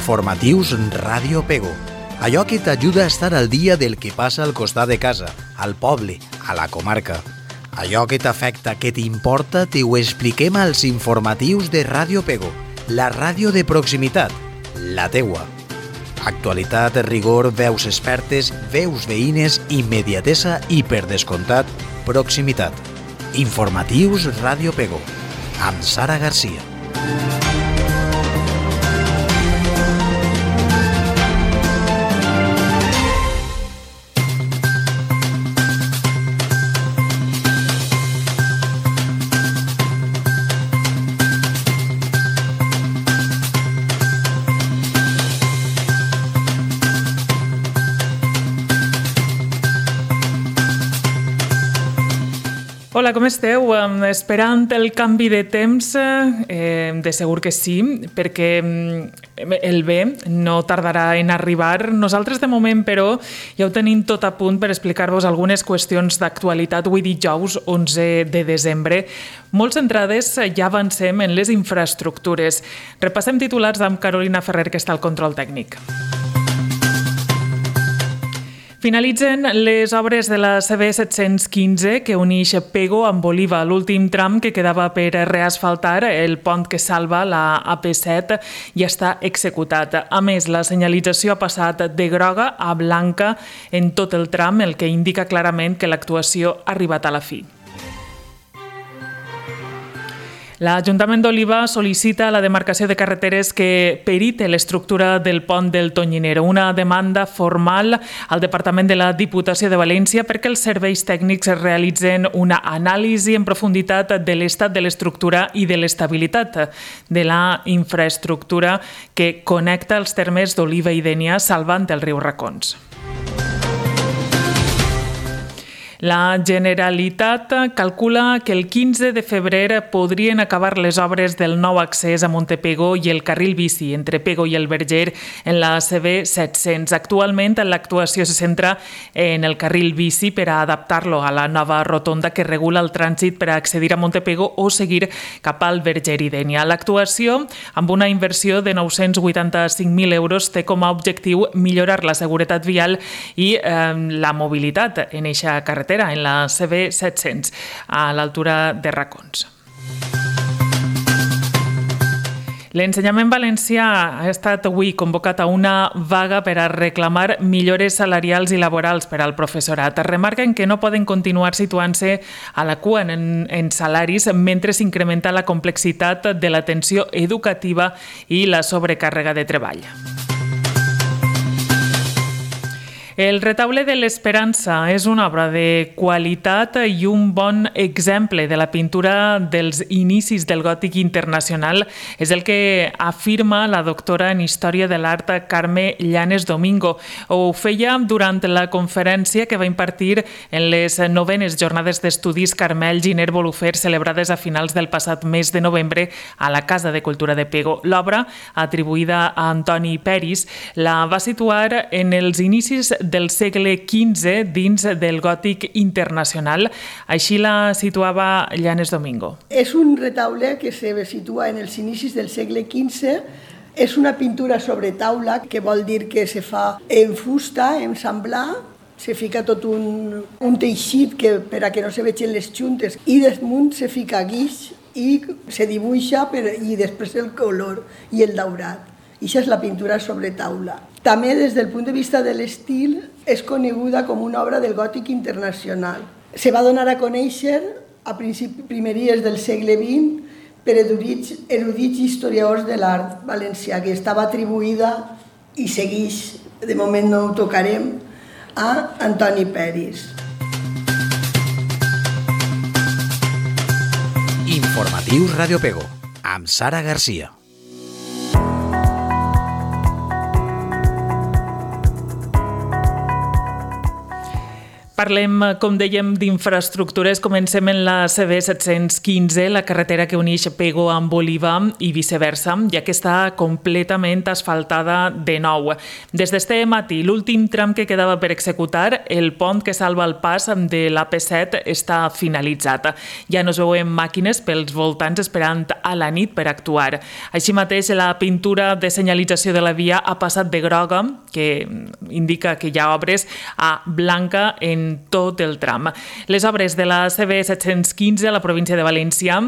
Informatius Ràdio Pego. Allò que t'ajuda a estar al dia del que passa al costat de casa, al poble, a la comarca. Allò que t'afecta, que t'importa, t'ho expliquem als informatius de Ràdio Pego, la ràdio de proximitat, la teua. Actualitat, rigor, veus expertes, veus veïnes, immediatesa i, per descomptat, proximitat. Informatius Ràdio Pego, amb Sara Garcia. Hola, com esteu? Esperant el canvi de temps? De segur que sí, perquè el bé no tardarà en arribar. Nosaltres, de moment, però, ja ho tenim tot a punt per explicar-vos algunes qüestions d'actualitat avui dijous 11 de desembre. Molt centrades, ja avancem en les infraestructures. Repassem titulars amb Carolina Ferrer, que està al control tècnic. Finalitzen les obres de la CB715 que uneix Pego amb Oliva. L'últim tram que quedava per reasfaltar, el pont que salva la AP7, ja està executat. A més, la senyalització ha passat de groga a blanca en tot el tram, el que indica clarament que l'actuació ha arribat a la fi. L'Ajuntament d'Oliva sol·licita la demarcació de carreteres que perite l'estructura del pont del Tonyinero, una demanda formal al Departament de la Diputació de València perquè els serveis tècnics realitzen una anàlisi en profunditat de l'estat de l'estructura i de l'estabilitat de la infraestructura que connecta els termes d'Oliva i Dénia salvant el riu Racons. La Generalitat calcula que el 15 de febrer podrien acabar les obres del nou accés a Montepego i el carril bici entre Pego i el Verger en la CB700. Actualment, l'actuació se centra en el carril bici per a adaptar-lo a la nova rotonda que regula el trànsit per a accedir a Montepego o seguir cap al Verger i Dénia. L'actuació, amb una inversió de 985.000 euros, té com a objectiu millorar la seguretat vial i la mobilitat en eixa carretera, en la CB700, a l'altura de Racons. L'ensenyament valencià ha estat avui convocat a una vaga per a reclamar millores salarials i laborals per al professorat. Remarquen que no poden continuar situant-se a la cua en salaris mentre s'incrementa la complexitat de l'atenció educativa i la sobrecàrrega de treball. El Retaule de l'Esperança és una obra de qualitat i un bon exemple de la pintura dels inicis del gòtic internacional. És el que afirma la doctora en Història de l'Art Carme Llanes Domingo. Ho feia durant la conferència que va impartir en les 9enes Jornades d'Estudis Carmel Giner Bolufer celebrades a finals del passat mes de novembre a la Casa de Cultura de Pego. L'obra, atribuïda a Antoni Peris, la va situar en els inicis del segle XV dins del gòtic internacional. Així la situava Llanes Domingo. És un retaule que se situa en els inicis del segle XV. És una pintura sobre taula, que vol dir que se fa en fusta, en semblar. Se fica tot un teixit per a que no se vegin les juntes i damunt se fica guix i se dibuixa i després el color i el daurat. I això és la pintura sobre taula. També, des del punt de vista de l'estil, és coneguda com una obra del gòtic internacional. Se va donar a conèixer a primeries del segle XX per erudits historiadors de l'art valencià, que estava atribuïda, i segueix, de moment no ho tocarem, a Antoni Peris. Informatius Ràdio Pego, amb Sara Garcia. Parlem, com dèiem, d'infraestructures. Comencem en la CB715, la carretera que uneix Pego amb Oliva i viceversa, ja que està completament asfaltada de nou. Des d'este matí, l'últim tram que quedava per executar, el pont que salva el pas de l'AP7, està finalitzat. Ja no es veuen màquines pels voltants esperant a la nit per actuar. Així mateix, la pintura de senyalització de la via ha passat de groga, que indica que hi ha obres, a blanca en tot el tram. Les obres de la CB715 a la província de València,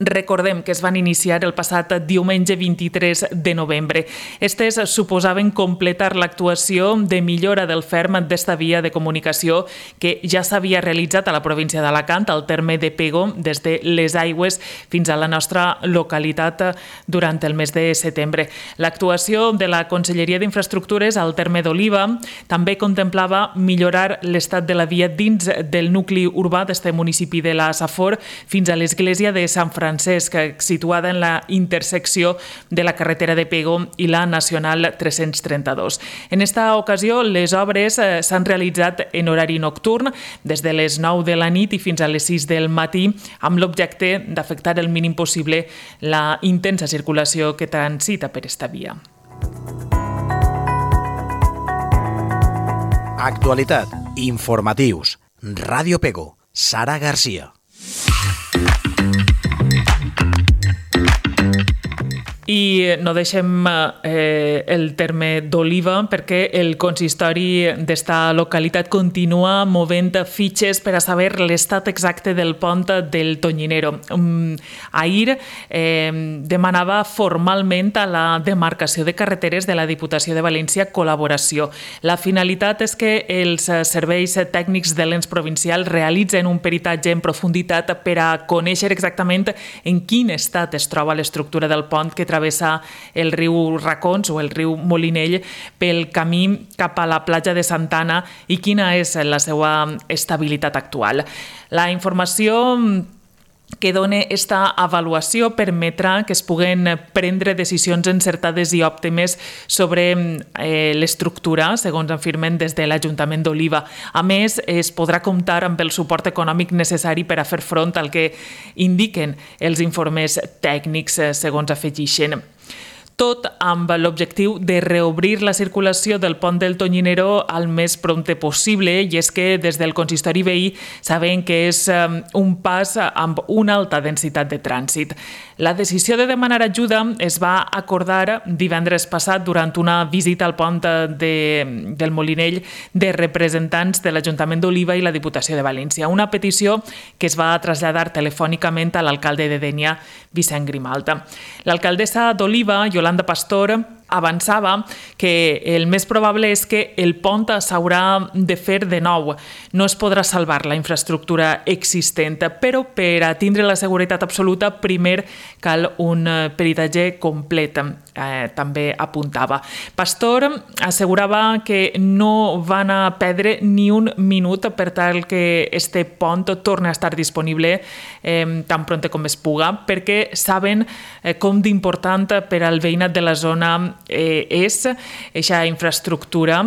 recordem que es van iniciar el passat diumenge 23 de novembre. Estes suposaven completar l'actuació de millora del ferm d'esta via de comunicació que ja s'havia realitzat a la província d'Alacant, al terme de Pego, des de les Aigües fins a la nostra localitat durant el mes de setembre. L'actuació de la Conselleria d'Infraestructures al terme d'Oliva també contemplava millorar l'estat de la via dins del nucli urbà d'este municipi de la Safor fins a l'església de Sant Francesc, situada en la intersecció de la carretera de Pego i la Nacional 332. En esta ocasió, les obres s'han realitzat en horari nocturn, des de les 9 de la nit i fins a les 6 del matí, amb l'objecte d'afectar el mínim possible la intensa circulació que transita per esta via. Actualitat, informatius, Ràdio Pego, Sara Garcia. I no deixem el terme d'Oliva perquè el consistori d'esta localitat continua movent fitxes per a saber l'estat exacte del pont del Tonyinero. Ahir demanava formalment a la demarcació de carreteres de la Diputació de València col·laboració. La finalitat és que els serveis tècnics de l'ens provincial realitzen un peritatge en profunditat per a conèixer exactament en quin estat es troba l'estructura del pont que travessa el riu Racons o el riu Molinell pel camí cap a la platja de Santana i quina és la seva estabilitat actual. La informació que dona esta avaluació permetrà que es puguen prendre decisions encertades i òptimes sobre l'estructura, segons afirmen des de l'Ajuntament d'Oliva. A més, es podrà comptar amb el suport econòmic necessari per a fer front al que indiquen els informes tècnics, segons afegeixen. Tot amb l'objectiu de reobrir la circulació del pont del Tonyinero al més prompte possible, i és que des del consistori veí saben que és un pas amb una alta densitat de trànsit. La decisió de demanar ajuda es va acordar divendres passat durant una visita al pont del Molinell de representants de l'Ajuntament d'Oliva i la Diputació de València, una petició que es va traslladar telefònicament a l'alcalde de Dénia, Vicent Grimalta. L'alcaldessa d'Oliva, Yolanda Pastor, avançava que el més probable és que el pont s'haurà de fer de nou. No es podrà salvar la infraestructura existent, però per a tindre la seguretat absoluta, primer cal un peritatge complet, també apuntava. Pastor assegurava que no van a perdre ni un minut per tal que este pont torni a estar disponible tan pronte com es puga, perquè saben com d'important per al veïnat de la zona és aquesta infraestructura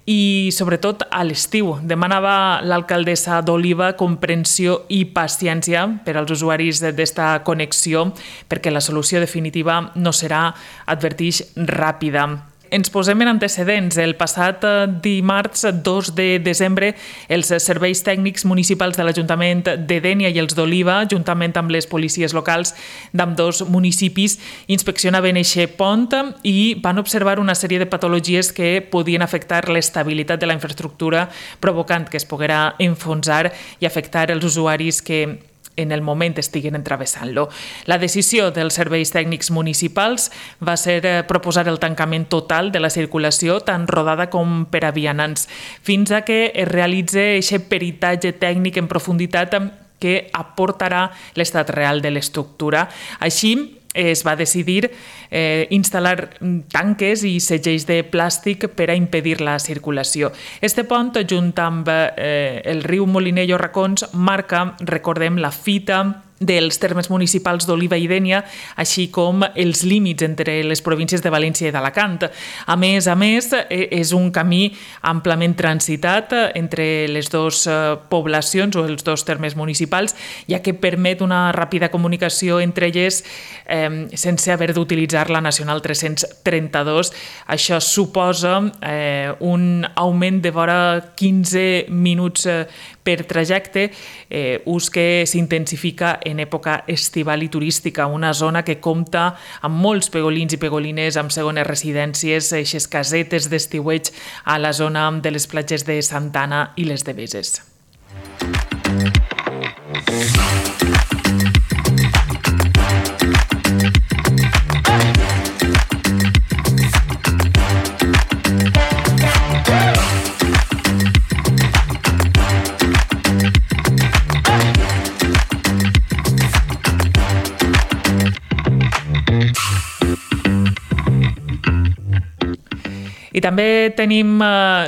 i sobretot a l'estiu. Demanava l'alcaldessa d'Oliva comprensió i paciència per als usuaris d'esta connexió perquè la solució definitiva no serà, advertix, ràpida. Ens posem en antecedents. El passat dimarts 2 de desembre, els serveis tècnics municipals de l'Ajuntament de Dénia i els d'Oliva, juntament amb les policies locals d'ambdós municipis, inspeccionaven aquest pont i van observar una sèrie de patologies que podien afectar l'estabilitat de la infraestructura, provocant que es poguera enfonsar i afectar els usuaris que en el moment estiguen entravessant-lo. La decisió dels serveis tècnics municipals va ser proposar el tancament total de la circulació, tant rodada com per a vianants, fins a que es realitzi aquest peritatge tècnic en profunditat que aportarà l'estat real de l'estructura. Així, es va decidir instal·lar tanques i segells de plàstic per a impedir la circulació. Este pont, junt amb el riu Molinell o Racons, marca, recordem, la fita dels termes municipals d'Oliva i Dénia, així com els límits entre les províncies de València i d'Alacant. A més, és un camí amplament transitat entre les dues poblacions o els dos termes municipals, ja que permet una ràpida comunicació entre elles sense haver d'utilitzar la Nacional 332. Això suposa un augment de vora 15 minuts per trajecte, ús que s'intensifica en època estival i turística, una zona que compta amb molts pegolins i pegolines amb segones residències, eixes casetes d'estiueig a la zona de les platges de Santana i les de Beses. I també tenim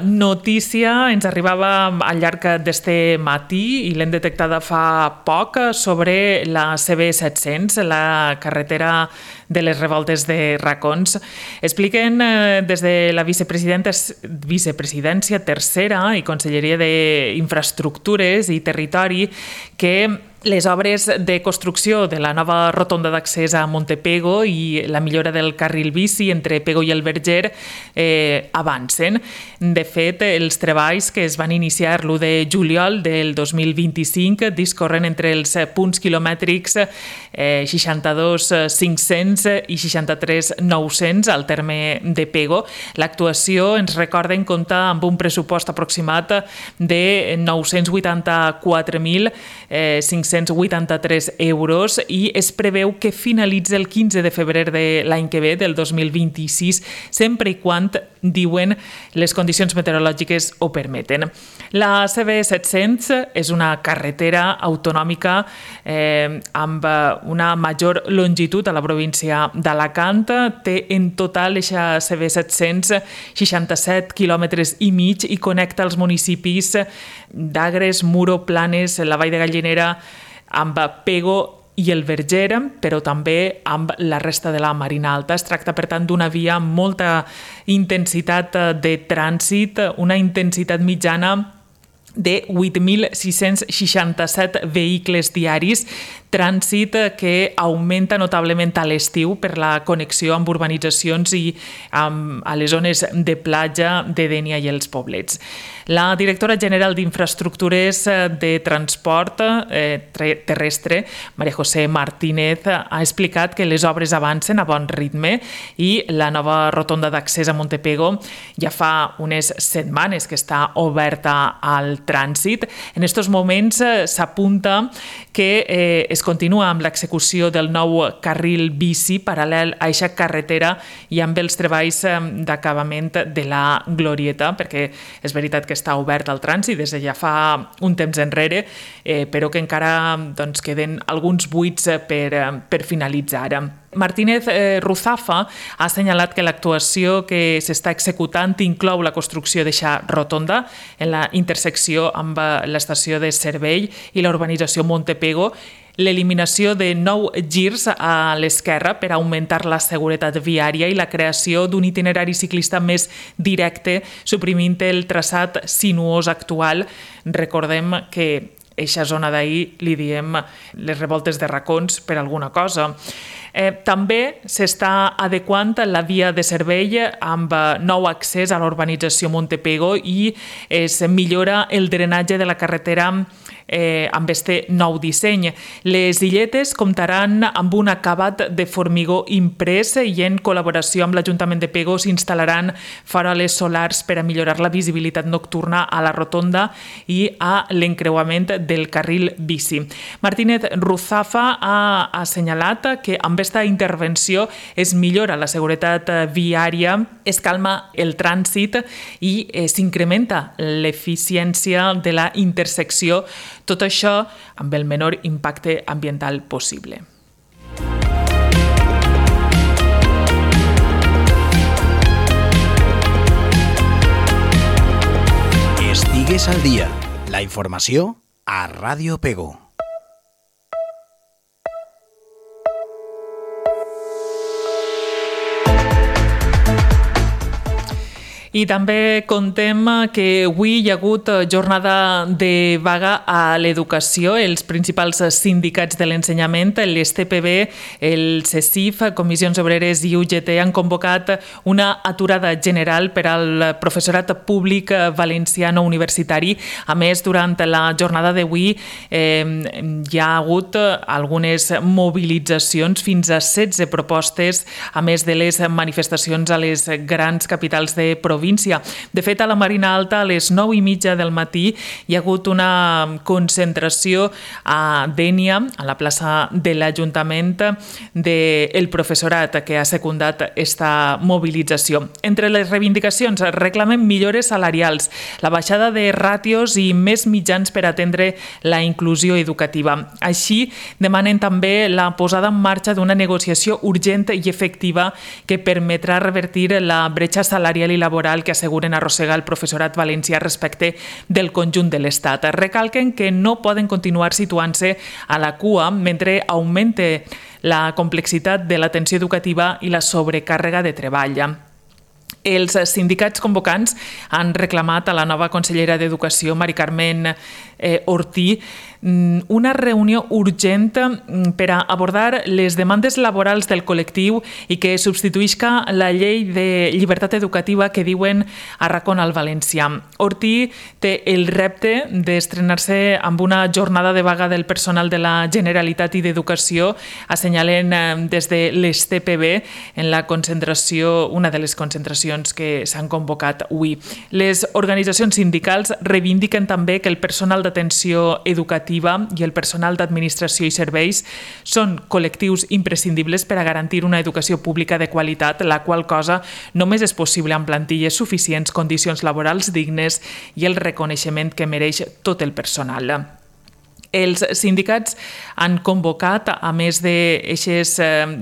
notícia, ens arribava al llarg d'este matí i l'hem detectada fa poc, sobre la CB700, la carretera de les revoltes de Racons. Expliquen des de la vicepresidència tercera i Conselleria d'Infraestructures i Territori que les obres de construcció de la nova rotonda d'accés a Montepego i la millora del carril bici entre Pego i el Verger avancen. De fet, els treballs que es van iniciar l'1 de juliol del 2025 discorren entre els punts quilomètrics 62.500 i 63.900 al terme de Pego. L'actuació, ens recorden, compta amb un pressupost aproximat de 984.583 euros i es preveu que finalitzi el 15 de febrer de l'any que ve, del 2026, sempre i quan, diuen, les condicions meteorològiques ho permeten. La CB700 és una carretera autonòmica amb una major longitud a la província d'Alacant. Té en total eixa CB700 67 quilòmetres i mig i connecta els municipis d'Agres, Muro, Planes, la Vall de Gallinera, amb Pego i el Verger, però també amb la resta de la Marina Alta. Es tracta, per tant, d'una via amb molta intensitat de trànsit, una intensitat mitjana de 8.667 vehicles diaris, trànsit que augmenta notablement a l'estiu per la connexió amb urbanitzacions i a les zones de platja de Dénia i els poblets. La directora general d'Infraestructures de Transport Terrestre, María José Martínez, ha explicat que les obres avancen a bon ritme i la nova rotonda d'accés a Montepego ja fa unes setmanes que està oberta al trànsit. En aquests moments s'apunta que es continua amb l'execució del nou carril bici paral·lel a aquesta carretera i amb els treballs d'acabament de la Glorieta, perquè és veritat que està obert al trànsit des de ja fa un temps enrere, però que encara queden alguns buits per finalitzar. Martínez Ruzafa ha assenyalat que l'actuació que s'està executant inclou la construcció d'eixa rotonda en la intersecció amb l'estació de Cervell i la urbanització Montepego, l'eliminació de 9 girs a l'esquerra per augmentar la seguretat viària i la creació d'un itinerari ciclista més directe, suprimint el traçat sinuós actual. Recordem que eixa zona d'ahir li diem les revoltes de Racons per alguna cosa. També s'està adequant la via de Cervell amb nou accés a l'urbanització Montepego i es millora el drenatge de la carretera amb este nou disseny. Les illetes comptaran amb un acabat de formigó imprès i en col·laboració amb l'Ajuntament de Pego s'instal·laran faroles solars per a millorar la visibilitat nocturna a la rotonda i a l'encreuament del carril bici. Martínez Ruzafa ha assenyalat que amb aquesta intervenció es millora la seguretat viària, es calma el trànsit i s'incrementa l'eficiència de la intersecció, tot això amb el menor impacte ambiental possible. Estigues al dia. La informació a Ràdio Pego. I també contem que avui hi ha hagut jornada de vaga a l'educació. Els principals sindicats de l'ensenyament, l'STPB, el CECIF, Comissions Obreres i UGT han convocat una aturada general per al professorat públic valencià no universitari. A més, durant la jornada d'avui hi ha hagut algunes mobilitzacions, fins a 16 propostes, a més de les manifestacions a les grans capitals de província. De fet, a la Marina Alta, a les 9:30 del matí, hi ha hagut una concentració a Dénia, a la plaça de l'Ajuntament, del professorat que ha secundat esta mobilització. Entre les reivindicacions reclamen millores salarials, la baixada de ràtios i més mitjans per atendre la inclusió educativa. Així, demanen també la posada en marxa d'una negociació urgent i efectiva que permetrà revertir la bretxa salarial i laboral que asseguren arrossegar el professorat valencià respecte del conjunt de l'Estat. Recalquen que no poden continuar situant-se a la cua mentre augmente la complexitat de l'atenció educativa i la sobrecàrrega de treball. Els sindicats convocants han reclamat a la nova consellera d'Educació, Mari Carmen Ortí, una reunió urgent per a abordar les demandes laborals del col·lectiu i que substituïsca la llei de llibertat educativa que diuen arracona al valencià. Ortí té el repte d'estrenar-se amb una jornada de vaga del personal de la Generalitat i d'Educació, assenyalen des de l'STPB en la concentració, una de les concentracions que s'han convocat avui. Les organitzacions sindicals reivindiquen també que el personal d'atenció educativa i el personal d'administració i serveis són col·lectius imprescindibles per a garantir una educació pública de qualitat, la qual cosa només és possible amb plantilles suficients, condicions laborals dignes i el reconeixement que mereix tot el personal. Els sindicats han convocat, a més d'eixes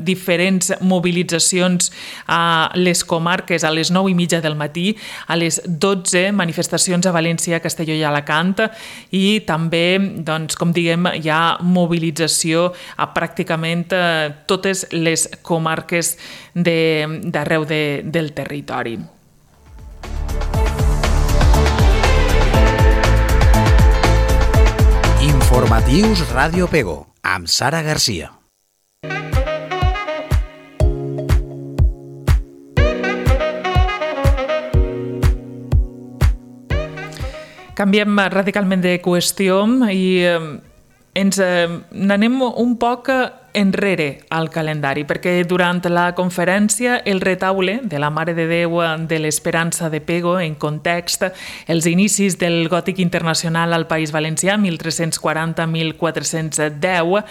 diferents mobilitzacions a les comarques a les 9:30 del matí, a les 12 manifestacions a València, Castelló i Alacant, i també, doncs, com diguem, hi ha mobilització a pràcticament totes les comarques d'arreu del territori. Informatius Ràdio Pego, amb Sara Garcia. Canviem radicalment de qüestió i ens n'anem un poc enrere al calendari, perquè durant la conferència El retaule de la Mare de Déu de l'Esperança de Pego, en context els inicis del gòtic internacional al País Valencià, 1340-1410,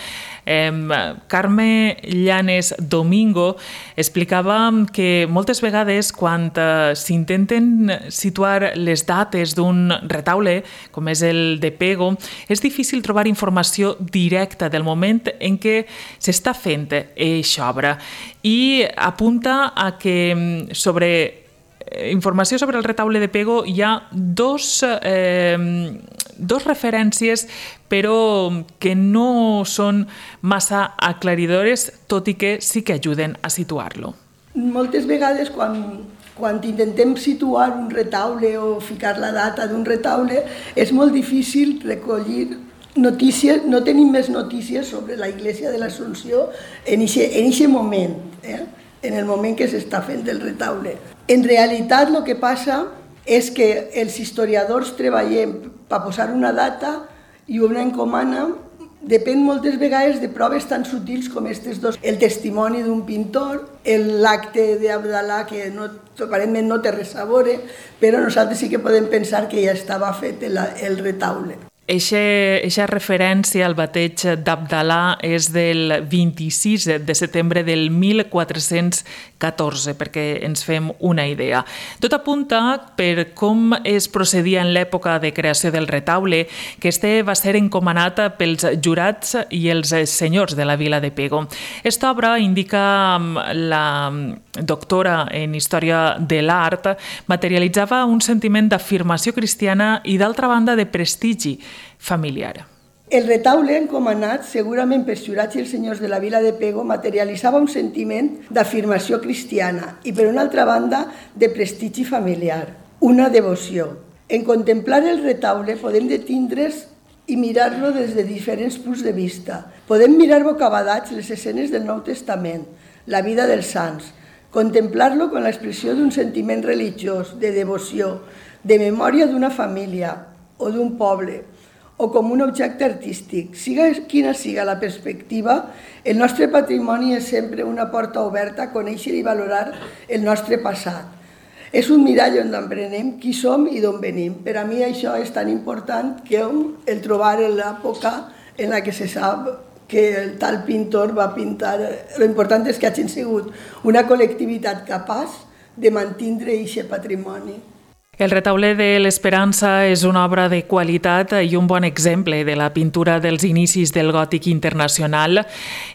Carme Llanes Domingo explicava que moltes vegades quan s'intenten situar les dates d'un retaule, com és el de Pego, és difícil trobar informació directa del moment en què s'està fent eixa obra i apunta a que informació sobre el retaule de Pego hi ha dos referències però que no són massa aclaridores, tot i que sí que ajuden a situar-lo. Moltes vegades quan intentem situar un retaule o ficar la data d'un retaule és molt difícil recollir notícies, no tenim més notícies sobre la Iglesia de l'Assumpció en aquest moment, en el moment que s'està fent el retaule. En realitat el que passa és que els historiadors treballem per posar una data i una encomana, depèn moltes vegades de proves tan sutils com aquestes dos, el testimoni d'un pintor, l'acte d'Abdalà que aparentment no té res a veure, però nosaltres sí que podem pensar que ja estava fet el retaule. Eixa referència al bateig d'Abdalà és del 26 de setembre del 1414, perquè ens fem una idea. Tot apunta per com es procedia en l'època de creació del retaule, que este va ser encomanat pels jurats i els senyors de la vila de Pego. Esta obra, indica la doctora en Història de l'Art, materialitzava un sentiment d'afirmació cristiana i, d'altra banda, de prestigi familiar. El retaule encomanat, segurament per Ciurats i els senyors de la vila de Pego, materialitzava un sentiment d'afirmació cristiana i, per una altra banda, de prestigi familiar, una devoció. En contemplar el retaule podem detindre's i mirar-lo des de diferents punts de vista. Podem mirar bocabadats les escenes del Nou Testament, la vida dels sants, contemplar-lo com l'expressió d'un sentiment religiós, de devoció, de memòria d'una família o d'un poble, o com un objecte artístic. Siga quina siga la perspectiva, el nostre patrimoni és sempre una porta oberta a conèixer i valorar el nostre passat. És un mirall on emprenem qui som i d'on venim. Per a mi això és tan important que el trobar en l'època en la que se sap que el tal pintor va pintar. Lo important és que hagin sigut una col·lectivitat capaç de mantindre aquest patrimoni. El retaule de l'Esperança és una obra de qualitat i un bon exemple de la pintura dels inicis del gòtic internacional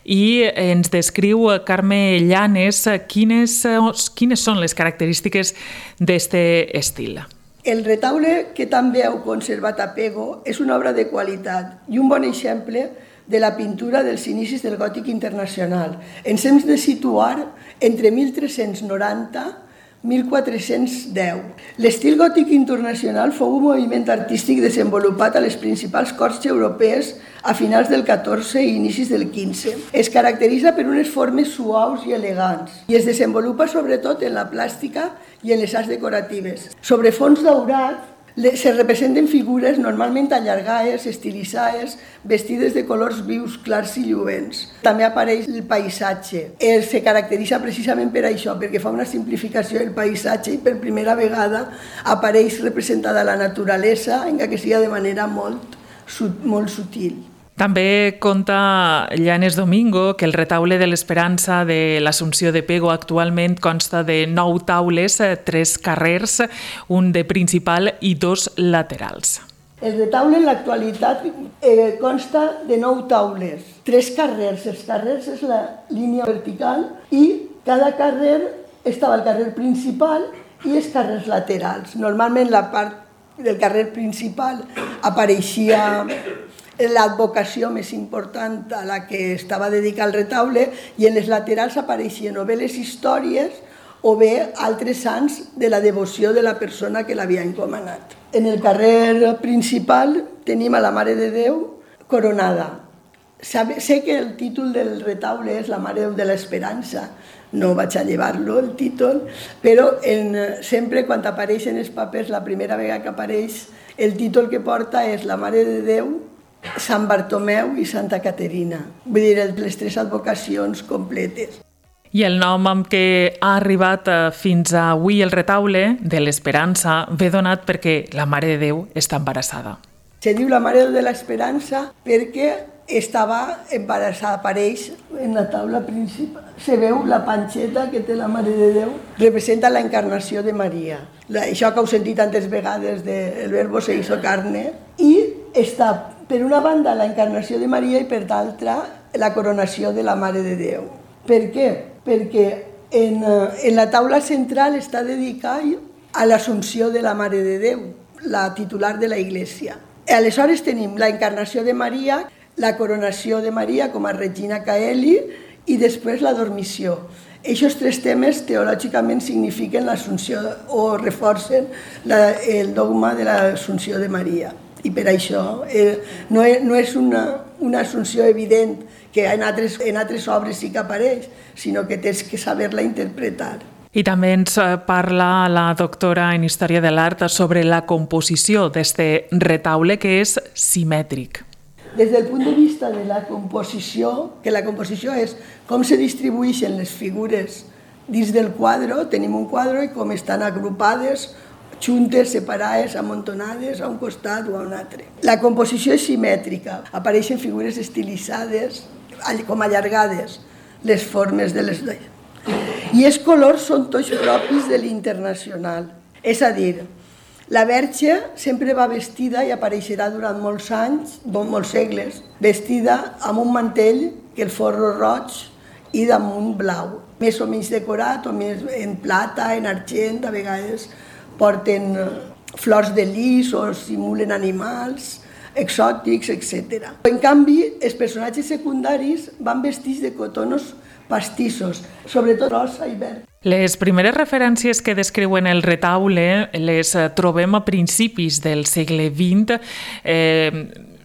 i ens descriu Carme Llanes quines són les característiques d'aquest estil. El retaule que també heu conservat a Pego és una obra de qualitat i un bon exemple de la pintura dels inicis del gòtic internacional. Ens hem de situar entre 1390 1410. L'estil gòtic internacional fou un moviment artístic desenvolupat a les principals corts europees a finals del XIV i inicis del XV. Es caracteritza per unes formes suaus i elegants i es desenvolupa sobretot en la plàstica i en les arts decoratives. Sobre fons daurat se representen figures normalment allargades, estilitzades, vestides de colors vius, clars i lluents. També apareix el paisatge. Se caracteritza precisament per això, perquè fa una simplificació del paisatge i per primera vegada apareix representada la naturalesa, encara que sigui de manera molt sutil. També conta Llanes Domingo que el retaule de l'Esperança de l'Assumpció de Pego actualment consta de 9 taules, 3 carrers, un de principal i 2 laterals. El retaule en l'actualitat consta de 9 taules, 3 carrers. Els carrers és la línia vertical i cada carrer estava el carrer principal i els carrers laterals. Normalment la part del carrer principal apareixia l'advocació més important a la que estava dedicat el retaule i en les laterals apareixien o bé les històries o bé altres sants de la devoció de la persona que l'havia encomanat. En el carrer principal tenim a la Mare de Déu coronada. Sé que el títol del retaule és la Mare de l'Esperança, no vaig a llevar-lo el títol, però sempre quan apareixen els papers, la primera vegada que apareix, el títol que porta és la Mare de Déu, Sant Bartomeu i Santa Caterina. Vull dir, les 3 advocacions completes. I el nom amb què ha arribat fins avui el retaule de l'Esperança ve donat perquè la Mare de Déu està embarassada. Se diu la Mare de l'Esperança perquè estava embarassada, apareix en la taula principal. Se veu la panxeta que té la Mare de Déu, representa la encarnació de Maria. Això que heu sentit tantes vegades del verbo se hizo carne. I està, per una banda, la encarnació de Maria i per l'altra, la coronació de la Mare de Déu. Per què? Perquè en la taula central està dedicat a l'Assumpció de la Mare de Déu, la titular de la Iglesia. Aleshores tenim la encarnació de Maria, la coronació de Maria com a Regina Caeli i després la dormició. Aquests 3 temes teològicament signifiquen l'Assumpció o reforcen el dogma de l'Assumpció de Maria. I per això no és una assumpció evident que en altres obres sí que apareix, sinó que tens que saber-la interpretar. I també ens parla la doctora en Història de l'Art sobre la composició d'aquest retaule que és simètric. Des del punt de vista de la composició, que la composició és com se distribueixen les figures dins del quadre, tenim un quadre i com estan agrupades, juntes, separades, amontonades a un costat o a un altre. La composició és simètrica, apareixen figures estilitzades, com allargades, les formes de les dones. I els colors són tots propis de l'internacional. És a dir, la Verge sempre va vestida i apareixerà durant molts anys, molts segles, vestida amb un mantell que el forro roig i damunt blau, més o menys decorat, o més en plata, en argent, a vegades porten flors de lis o simulen animals. exòtics, etc. En canvi, els personatges secundaris van vestits de cotonos pastissos, sobretot rosa i verd. Les primeres referències que descriuen el retaule les trobem a principis del segle XX.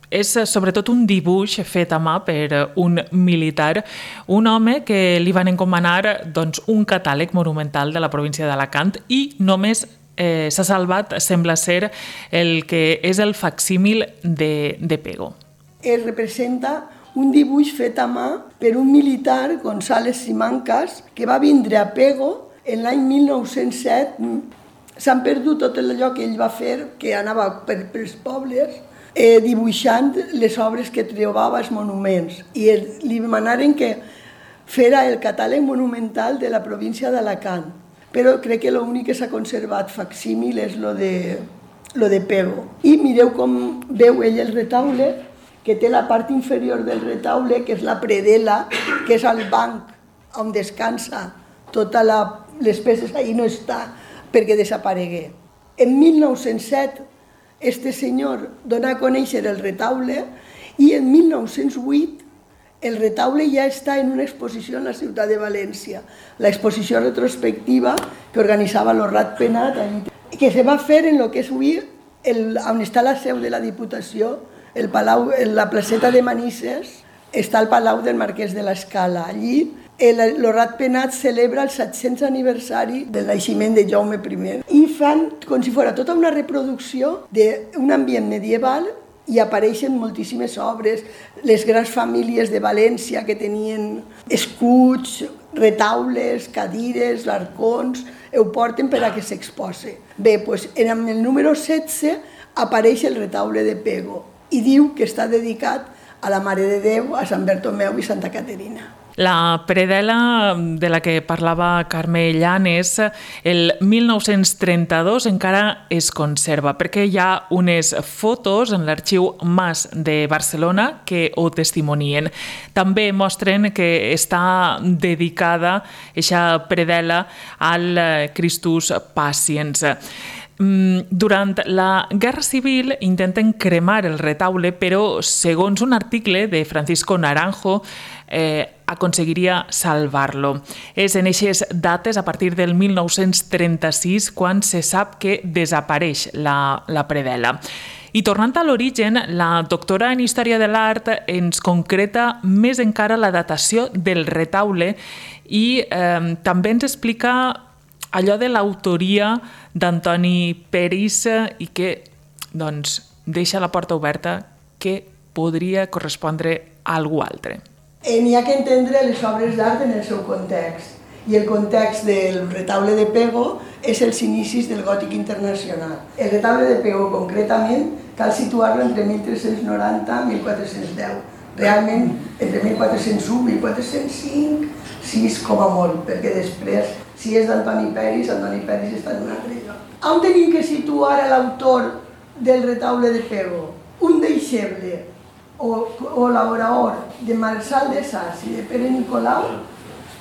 És sobretot un dibuix fet a mà per un militar, un home que li van encomanar un catàleg monumental de la província d'Alacant i només s'ha salvat, sembla ser, el que és el facsímil de Pego. Es representa un dibuix fet a mà per un militar, González Simancas, que va vindre a Pego en l'any 1907. S'han perdut tot allò que ell va fer, que anava pels pobles, dibuixant les obres que trobava als monuments. I li demanaren que fera el catàleg monumental de la província d'Alacant. Però crec que l'únic que s'ha conservat facsímil és lo de Pego. I mireu com veu ell el retaule, que té la part inferior del retaule, que és la predel·la, que és el banc on descansa totes les peces, ahí no està perquè desaparegué. En 1907 este senyor dona a conèixer el retaule i en 1908 el retaule ja està en una exposició en la ciutat de València, l'exposició retrospectiva que organitzava el Ratpenat, que se va fer en el que és avui on està la seu de la Diputació, el Palau, la placeta de Manises, està el Palau del Marquès de l'Escala. Allí el Ratpenat celebra el 700 aniversari del naixement de Jaume I i fan com si fos tota una reproducció d'un ambient medieval i apareixen moltíssimes obres, les grans famílies de València que tenien escuts, retaules, cadires, arcons, ho porten per a que s'exposi. Bé, doncs en el número 16 apareix el retaule de Pego i diu que està dedicat a la Mare de Déu, a Sant Bertomeu i Santa Caterina. La predel·la de la que parlava Carme Llanes, el 1932 encara es conserva, perquè hi ha unes fotos en l'Arxiu Mas de Barcelona que ho testimonien. També mostren que està dedicada aquesta predel·la al Christus Patiens. Durant la Guerra Civil intenten cremar el retaule, però segons un article de Francisco Naranjo aconseguiria salvar-lo. És en aquestes dates, a partir del 1936, quan se sap que desapareix la predel·la. I tornant a l'origen, la doctora en Història de l'Art ens concreta més encara la datació del retaule i també ens explica allò de l'autoria d'Antoni Peris i que deixa la porta oberta que podria correspondre a algú altre. N'hi ha que entendre les obres d'art en el seu context. I el context del retaule de Pego és els inicis del gòtic internacional. El retaule de Pego, concretament, cal situar-lo entre 1390 i 1410. Realment, entre 1401 i 1405, 6 com a molt, perquè després, si és d'Antoni Peris està en un altre lloc. On tenim que situar l'autor del retaule de Pego? Un deixeble o l'oraor de Marçal de Sas i de Pere Nicolau,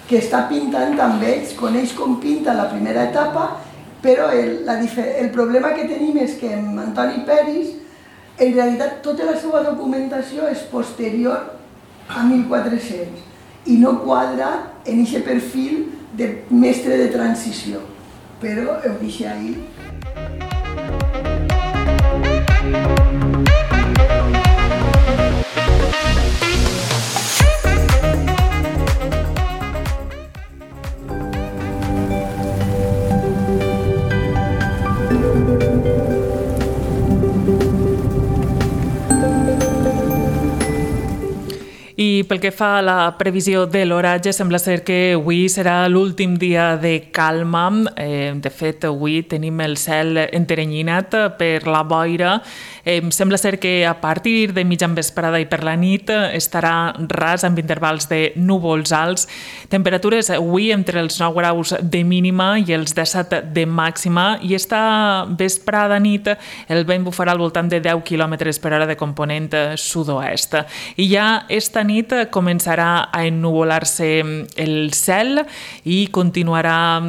que està pintant amb ells, coneix com pinta la primera etapa, però el problema que tenim és que amb Antoni Peris, en realitat, tota la seva documentació és posterior a 1400 i no quadra en aquest perfil de mestre de transició, però ho deixo ahí. I pel que fa a la previsió de l'oratge, sembla ser que avui serà l'últim dia de calma. De fet, avui tenim el cel enteranyinat per la boira. Sembla ser que a partir de mitjan vesprada i per la nit estarà ras amb intervals de núvols alts. Temperatures avui entre els 9 graus de mínima i els 17 de màxima, i esta vesprada nit el vent bufarà al voltant de 10 km per hora de component sud-oest. I ja esta nit començarà a ennuvolar-se el cel i continuarà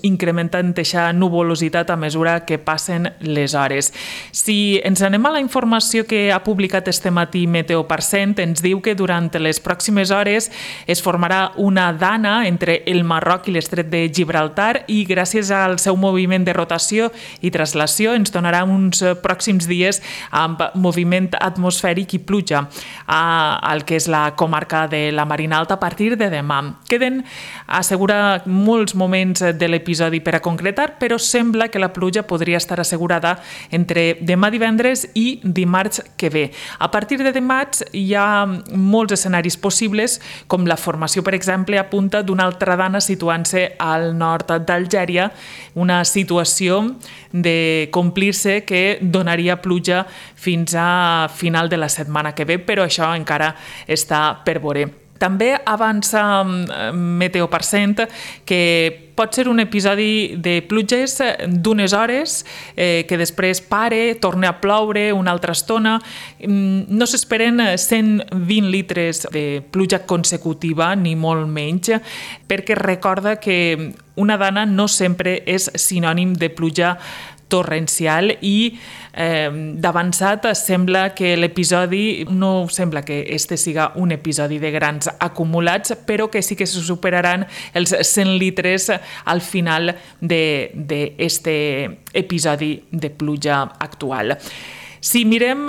incrementant aquesta nuvolositat a mesura que passen les hores. Si ens anem a la informació que ha publicat este matí Meteo%, ens diu que durant les pròximes hores es formarà una dana entre el Marroc i l'estret de Gibraltar i gràcies al seu moviment de rotació i traslació ens donarà uns pròxims dies amb moviment atmosfèric i pluja al que és la comarca de la Marina Alta a partir de demà. Queden, assegura, molts moments de l'episodi per a concretar, però sembla que la pluja podria estar assegurada entre demà divendres i dimarts que ve. A partir de dimarts hi ha molts escenaris possibles, com la formació, per exemple, a punta d'una altra dana situant-se al nord d'Algèria, una situació de complir-se que donaria pluja fins a final de la setmana que ve, però això encara està per veure. També avança Meteo% que pot ser un episodi de pluges d'unes hores que després pare, torna a ploure una altra estona. No s'esperen 120 litres de pluja consecutiva, ni molt menys, perquè recorda que una dana no sempre és sinònim de pluja torrencial i d'avançat sembla que l'episodi no sembla que este siga un episodi de grans acumulats, però que sí que se superaran els 100 litres al final d'este episodi de pluja actual. Si mirem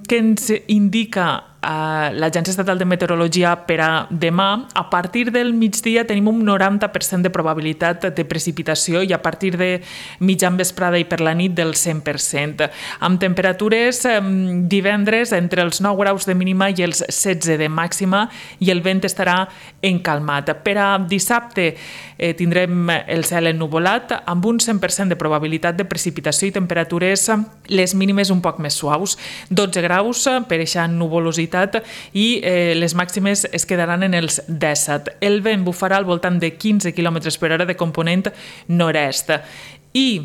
què ens indica l'Agència Estatal de Meteorologia per a demà, a partir del migdia tenim un 90% de probabilitat de precipitació i a partir de mitjan vesprada i per la nit del 100%. Amb temperatures divendres entre els 9 graus de mínima i els 16 de màxima i el vent estarà encalmat. Per a dissabte tindrem el cel ennuvolat amb un 100% de probabilitat de precipitació i temperatures les mínimes un poc més suaus, 12 graus per eixa nuvolositat i les màximes es quedaran en els 17. El vent bufarà al voltant de 15 km per hora de component nord-est. I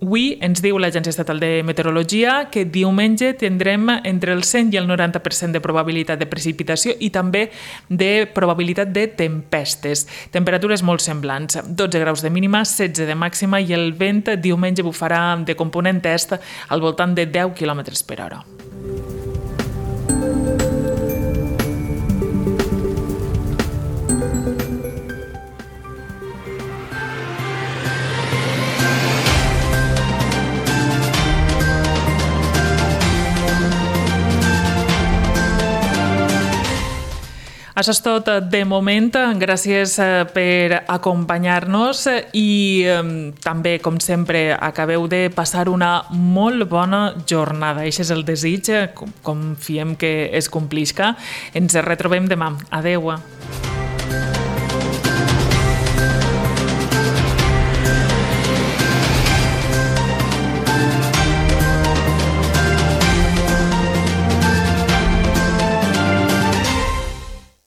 avui ens diu l'Agència Estatal de Meteorologia que diumenge tindrem entre el 100 i el 90% de probabilitat de precipitació i també de probabilitat de tempestes. Temperatures molt semblants, 12 graus de mínima, 16 de màxima i el vent diumenge bufarà de component est al voltant de 10 km per hora. Això és tot de moment. Gràcies per acompanyar-nos i també, com sempre, acabeu de passar una molt bona jornada. Això és el desig, confiem que es complisca. Ens retrobem demà. Adeu.